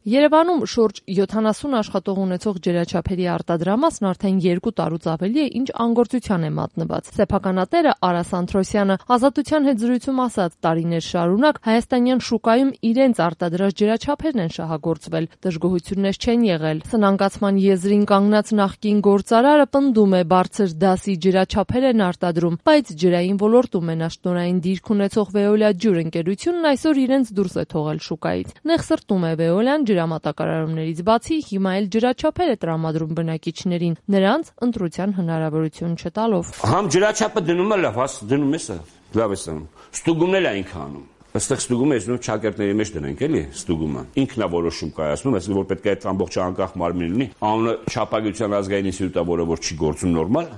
Երևանում շուրջ 70 աշխատող ունեցող ջրաչափերի արտադրամասն արդեն 2 տարուց ավելի է, ինչ անգործության է մատնված։ Սեփականատերը Արա Սանթրոսյանը Ազատության հետ զրույցում ասաց, տարիներ շարունակ հայաստանյան շուկայում իրենց արտադրած ջրաչափերն են շահագործվել, դժգոհություններ չեն եղել։ Սնանկացման եզրին կանգնած նախկին գործարարը պնդում է, բարձր դասի ջրաչափեր են արտադրում, բայց ջրային ոլորտում մենաշնորհային դիրք ունեցող Veolia ջուր ընկերությունն այսօր իրենց դուրս է թողել շուկայից։ Նեղսրտում է Veolia-ն ջրամատակարարումներից բացի հիմա էլ ջրաչափեր է տրամադրում բնակիչներին, նրանց ընտրության հնարավորություն չտալով։ Համ ջրաչափը դնում է լավ, դնում է սա, լավ է սանում։ Ստուգումն էլ այնք անում։ Այստեղ ստուգումը ես նույն ճակերտների մեջ դնենք էլի ստուգումը։ Ինքն է որոշում կայացնում, այսինքն որ պետք է այդ ամբողջ անկախ մարմին լինի, անունը Չափագիտության ազգային ինստիտուտը, որը որ չի գործում նորմալ,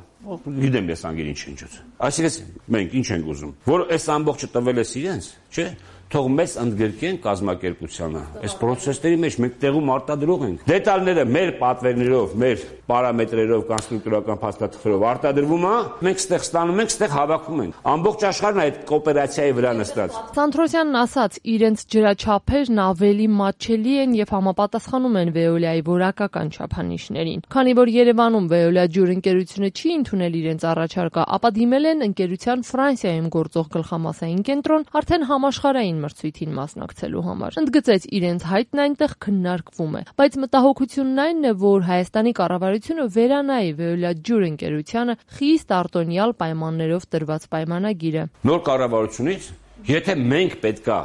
գիտեմ ես անգին ինչ ինչուց։ Այսինքն մենք ինչ ենք ուզում, որ այս ամբողջը տվել ես իրենց, չէ՞։ Թող մեզ ընդգրկեն կազմակերպությանը։ Այս process-ների մեջ մենք տեղում արտադրող ենք։ Դետալները մեր պատվերներով, մեր պարամետրերով, կոնստրուկտորական փաստաթղթերով արտադրվում է, մենք ստեղ ստանում ենք, ստեղ հավաքում ենք։ Ամբողջ աշխարհն այդ կոոպերացիայի վրա նստած։ Սանթրոսյանն ասաց, իրենց ջրաչափերն ավելի մատչելի են եւ համապատասխանում են Veolia-ի որակական չափանիշներին։ Քանի որ Երևանում Veolia ջուր ընկերությունը չի ընդունել իրենց առաջարկը, ապա դիմել են ընկերության Ֆրանսիայում գործող գլխամասային կենտրոն արդեն համաշխարհային մրցույթին մասնակցելու համար։ Ընդգծեց, իրենց հայտն այնտեղ քննարկվում է, բայց մտահոգությունն այն է, որ Հայաստանի կառավարությունը վերանայի Veolia ջուր ընկերությանը խիստ արտոնյալ պայմաններով տրված պայմանագիրը։ Նոր կառավարությունից, եթե մենք պետքա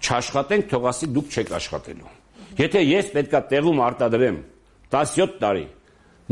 չաշխատենք, թող ասի դուք չեք աշխատելու։ Եթե ես պետքա տեղում արտադրեմ 17 տարի,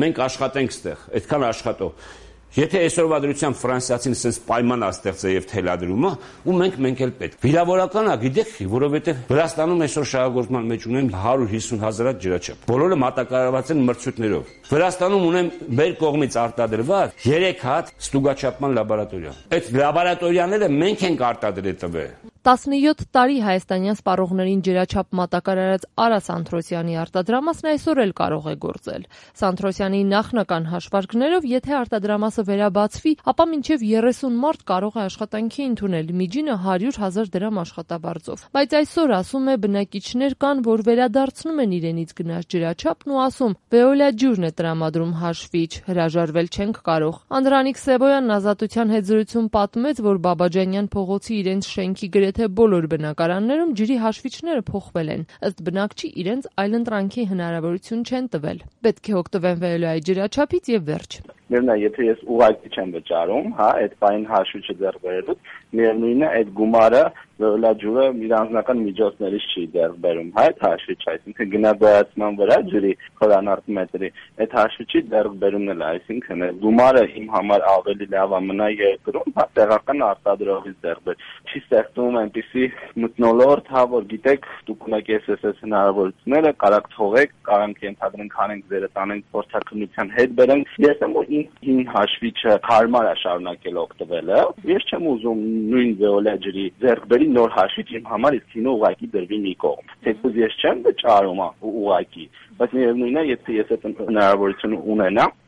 մենք աշխատենք ստեղ, այդքան աշխատող։ Եթե այսօրվա դրությամբ ֆրանսիացին sense պայման աստեղծե եւ թելադրումը, ու մենք էլ պետք։ Վիրավորական է, գիտեք, որովհետեւ Վրաստանում այսօր շահագործման մեջ ունեն 150,000 ջրաչափ։ Բոլորը մատակարարված են մրցույթներով։ Վրաստանում ունեն մեր կողմից արտադրված 3 հատ ստուգաչափման լաբորատորիա։ Այդ լաբորատորիաները մենք ենք արտադրել տվել։ 17 տարի հայաստանյան սպառողներին ջրաչափ մատակարարած Արա Սանթրոսյանի արտադրամասն այսօր էլ կարող է գործել։ Սանթրոսյանի նախնական հաշվարկներով, եթե արտադրամասը վերաբացվի, ապա մինչև 30 մարդ կարող է աշխատանքի ընդունել, միջինը 100,000 դրամ աշխատաբարձով։ Բայց այսօր ասում է բնակիչներ կան, որ վերադարձնում են իրենից գնած ջրաչափն ու ասում, Veolia ջուրն է տրամադրում հաշվիչ, հրաժարվել չենք կարող։ Անդրանիկ Սևոյանն Ազատության հետ զրույցում պատմեց, որ Բաբաջանյան փողոցի իրենց շենքի թե բոլոր բնակարաններում ջրի հաշվիչները փոխվել են, ըստ բնակչի իրենց այլընտրանքի հնարավորություն չեն տվել։ Պետք է օգտվեն Veolia-ի ջրաչափից եւ վերջ։ Միևնույն է, եթե ես ուղղակի չեմ վճարում, հա, այդ բային հաշվիչը ձեռք բերելուց, միևնույնն է, այդ գումարը Veolia ջուրը իր անձնական միջոցներից չի ձեռք բերում, հա, այդ հաշվիչը, այսինքն գնահատական վրա ջրի խորանարդ մետրի, այդ հաշվիչի ձեռք բերումն էլ, այսինքն այդ գումարը իմ համար ավելի լավ է մնա երկրում, հա, տեղական արտադրողից ձեռք բեր։ Չի ստեղծում այնպիսի մթնոլորտ, հա, որ գիտեք, դուք ունեք SSS հնարավորությունները, կարաք թողեք, կարանք ենթադրենք հանենք ձերը տանենք փորձակնության հետ բերենք։ Ես եմ որ ին հաշվիչը հարմար է շարունակել օգտվելը։ Ես չեմ ուզում նույն Veolia ջրի ձեռք բերի նոր հաշվիչ իմ համար իսկ ինը ուղակի դրվի մի կողմ։ Թեկուզ ես չեմ վճարում ուղակի, բայց միևնույնն է, եթե ես այդ հնարավորությունը ունենամ,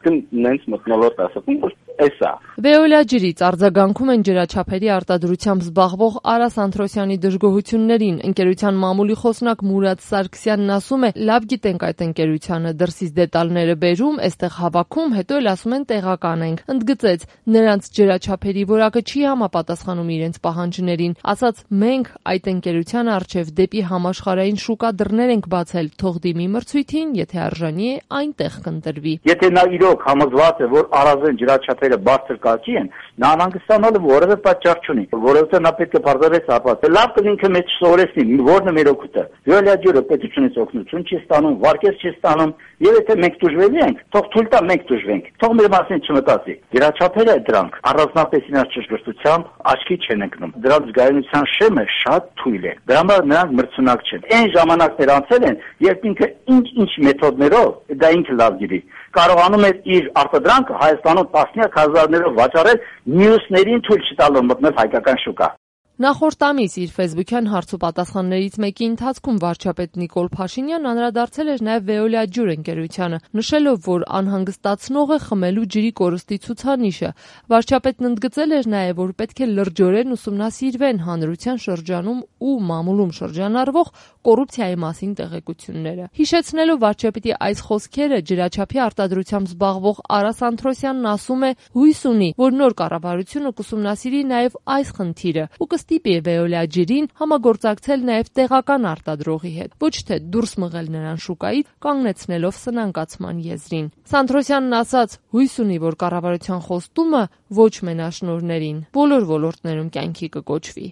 նենց մթնոլորտ ասում, որ էսա։ Veolia ջրից արձագանքում են ջրաչափերի արտադրությամբ զբաղվող Արա Սանթրոսյանի դժգոհություններին։ Ընկերության մամուլի խոսնակ Մուրադ Սարգսյանն ասում է, լավ գիտենք այդ ընկերությանը, դրսից դետալները բերում, այստեղ հավաքում, հետո էլ ասում են տեղական ենք։ Ընդգծեց, նրանց ջրաչափերի որակը չի համապատասխանում իրենց պահանջներին։ Ասաց, մենք այդ ընկերության առջև դեպի համաշխարհային շուկա դռներ ենք բացել, թող դիմի մրցույթին, եթե արժանի է, այնտեղ կընտրվի։ Եթե նա իրոք համոզված է, որ առանձին ջրաչափերը բարձր կարգի են, նա անհանգստանալու որևէ պատճառ չունի, որովհետեւ նա պետք է բարձրացնել ապա։ Լավ կլինքը մեծ սովորեցնի, որն է մեր օգուտը։ Veolia ջուրը պետությունից օգնություն չի ստանում, վարկեր չի ստանում, եւ եթե մենք դժվելի ենք, թող թույլ տա մենք դժվենք։ Թող մեր մասին չմտածի։ Ջրաչափերը դրանք առանձնապես իրաց ճշգրտությամբ աչքի չեն ընկնում։ Դրանց զգայունության շեմը շատ թույլ է։ Դրա համար նրանք մրցունակ չեն։ Այն ժամանակներ անցել են, երբ ինքը ինչ մեթոդներով, դա ինքը լավ գիտի, կարողանում է իր արտադրանքը Հայաստանում տասնյակ հազարներով վաճառել, մյուսներին թույլ չտալով մտնել հայկական շուկա։ Նախորդ ամիս իր ֆեյսբուքյան հարցուպատասխաններից մեկի ընթացքում վարչապետ Նիկոլ Փաշինյանն անդրադարձել էր նաև Veolia ջուր ընկերությանը, նշելով, որ անհանգստացնող է խմելու ջրի կորստի ցուցանիշը։ Վարչապետն ընդգծել էր նաև, որ պետք է լրջորեն ուսումնասիրվեն հանրության շրջանում ու մամուլում շրջանառվող կոռուպցիայի մասին տեղեկությունները։ Հիշեցնելով վարչապետի այս խոսքերը, ջրաչափի արտադրությամբ զբաղվող Արա Սանթրոսյանն ասում է, հույս ունի, որ նոր կառավարությունը կուսումնասիրի նաև այս խնդիրը ու կստիպի Veolia ջրին համագործակցել նաև տեղական արտադրողի հետ, ոչ թե դուրս մղել նրան շուկայից, կանգնեցնելով սնանկացման եզրին։ Սանթրոսյանն ասաց, հույս ունի, որ կառավարության խոստումը ոչ մենաշնորհներին բոլոր ոլորտներում կյանքի կկոչվի։